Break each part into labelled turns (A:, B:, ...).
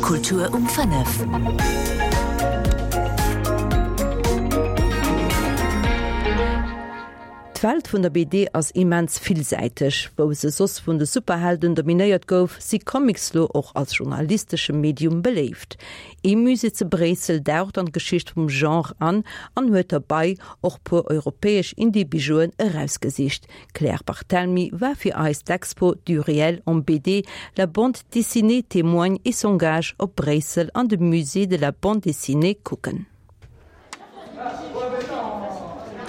A: Kultur um 5.
B: D'Welt vun der BD ass immens villsäiteg. Wou se soss vun de Superhelden dominéiert gouf, si Comics lo och als journalistesche Medium beléift. Ee Musée ze Bréissel daucht an d'Geschicht vum Genre an an huet derbei och puer europäesch Indie-Bijouen erausgesicht. D'Claire Barthelmy war fir eis d'Expo Du réel en BD, la bande dessinée témoigne et s'engage op Bréissel an de Musée de la bande dessinée kucken.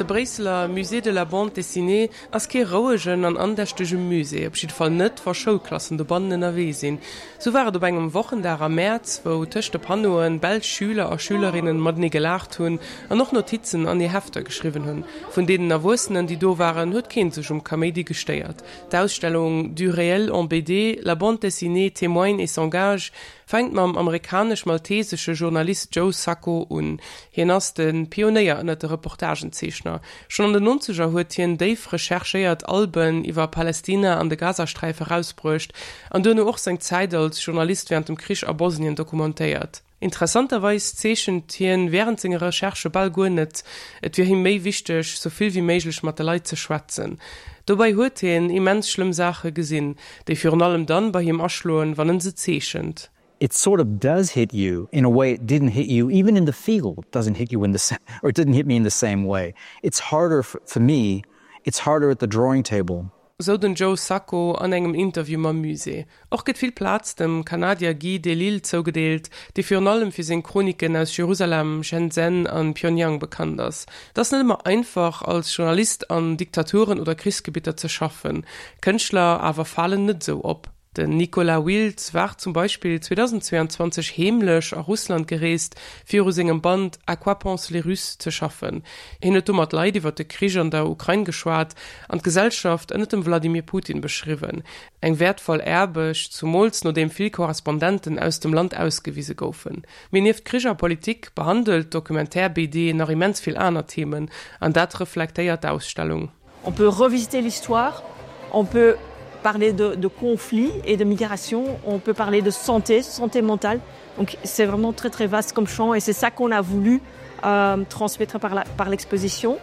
C: De Bréisseler Musée de la bande dessinée ass kee rouegen an andächtege Musée, op jidde Fall net, wa Schoulklassen dobannen ënnerwee sinn. Sou war et op engem Wochendag am Mäerz, wou tëscht de Panneauen belsch Schüler a Schülerinnen matenee gelaacht hunn an och Notizen an hir Hefter geschriwwen hunn. Vun deenen Erwuessenen, déi do waren, huet keen sech um Kaméidi gestéiert. D'Ausstellung Du réel en BD, la bande dessinée témoigne et s'engage Fänkt mam amerikanesch-maltesesche Journalist Joe Sacco un. Hien ass de Pionéier ënnert de Reportagenzeechner. Schonn an den Nonzeger huet hien déif recherchéiert Alben iwwer Palästina an de Gazasträif erausbruecht an duerno och seng Zäit als Journalist wärend dem Krich a Bosnien dokumentéiert. Interessanterweis zeechent hien wärend senge Recherchë bal guer net, et wier him méi wichteg, sou vill wéi méiglech mat de Leit ze schwätzen. Dobäi huet hien immens schlëmm Saache gesinn, déi virun allem dann bei him aschloen, wann en se zeechent.
D: It sort of does hit you in a way it didn't hit you even in the field doesn't hit you in the same or it didn't hit me in the same way. It's harder for me, it's harder at the drawing table.
C: Sou den Joe Sacco an engem Interview mam Musée. Och gëtt vill Plaz dem Kanadier Guy Delisle zougedeelt, dee virun allem fir seng Chroniken aus Jerusalem, Shenzhen an Pyongyang bekannt ass. Et ass net ëmmer einfach, als Journalist an Diktaturen oder Krichsgebitter ze schaffen. Kënschtler awer falen net esou op. Den Nicolas Wild war zum Beispill 2022 heemlech a Russland gereest, fir u sengem Band À quoi pensent les Russes ze schaffen. Hien huet do mat Leit iwwer de Krich an der Ukrain geschwat an d'Gesellschaft ënner dem Wladimir Putin beschriwwen. Eng wäertvoll Aarbecht, zumools nodeem vill Korrespondenten aus dem Land ausgewise goufen. Mee nieft Krich a Politik behandelt d'Documentaire-BD nach immens vill aner Themen, an dat reflektéiert d'Ausstellung.
E: On peut revisiter l'histoire, on peut parler de, de conflits et de migration, on peut parler de santé, santé mentale. Donc c'est vraiment très très vaste comme champ et c'est ça qu'on a voulu euh, transmettre par l'exposition.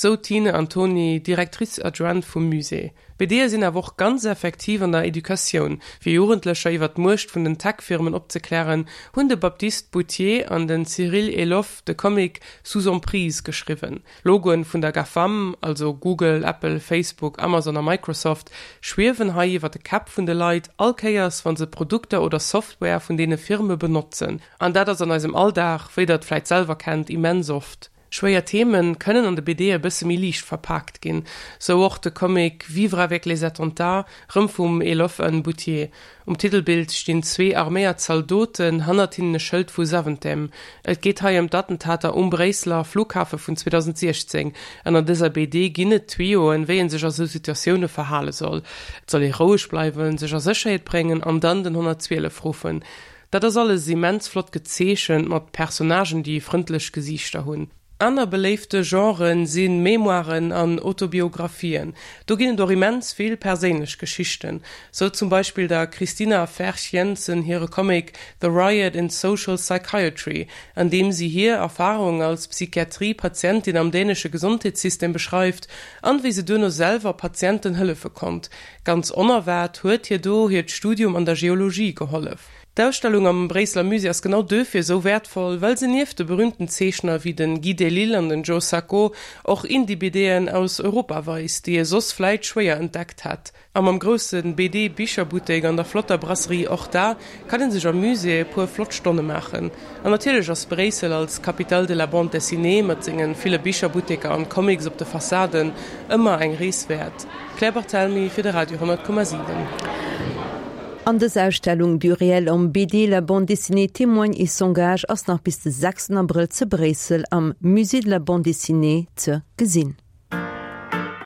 C: Sou d'Tine Antony, Directrice adjointe vum Musée. BDe sinn awer och ganz effektiv an der Educatioun. Fir Jugendlecher iwwer d'Muecht vun den Tech-Firmen opzeklären, hunn de Baptiste Boutier an den Cyril Eloff de Comic Sous emprise geschriwwen. Logoen vun der GAFAM, also Google, Apple, Facebook, Amazon a Microsoft, schwiewen hei iwwer de Käpp vun de Leit, all Kéiers wa se Produkter oder Software vun deene Firme benotzen. An dat ass an eisem Alldag, wéi der et vläit selwer kennt, immens oft. Schwéier Themen kënnen an de BDe e bësse méi liicht verpaakt ginn, sou och de Comic Vivre avec les attentats, rëm vum Elof N. Boutier. Um Titelbild stinn zwee arméiert Zaldoten, hannert hinnen e Schëld vu Zaventem. Et geet hei ëm d'Attentater um Bréisseler Flughafe vun 2016 an an dëser BD ginn et Tuyoen, wéi ee sech a sou Situatioune verhale soll. Et soll ee roueg bleiwen, sech a Sécherheet bréngen an dann den 112 ruffen. Dat ass alles immens flott gezeechent mat Personnagen, déi frëndlech Gesiichter hunn. Aner beléifte Genren si Memoiren an Autobiographien. Do ginn et och immens vill perséinlech Geschichten. Sou zum Beispill der Christina Ferch Jensen hire Comic The Riot in Social Psychiatry, an deem si hir Erfarung als Psychiatrie-Patientin am dänesche Gesondheetssystem beschreift an wéi se duerno selwer Patienten hëllefe konnt. Ganz onerwaart huet hir do hiert Studium an der Geologie gehollef. D'Ausstellung am Bréisseler Musée ass genau duerfir esou wäertvoll, well se nieft de berüümten Zeechner wéi de Guy Delisle an den Joe Sacco och Indie-BDen aus Europa weist, déi ee soss vläit schwéier entdeckt hätt. A mam grousse BD-Bicherbuttek an der flotter Brasserie Horta kann ee sech am Musée e puer flott Stonne maachen. An natierlech ass Bréissel als Capitale de la bande dessinée mat senge ville Bicherbutteker an Comics op de Fassaden ëmmer eng Rees wäert. Claire Barthelmy fir de Radio 10,7.
B: An dës Ausstellung Du réel en BD, la bande dessinée témoigne et s'engage ass nach bis de 6 Abrëll ze Bréissel am Musée de la bande dessinée ze gesinn.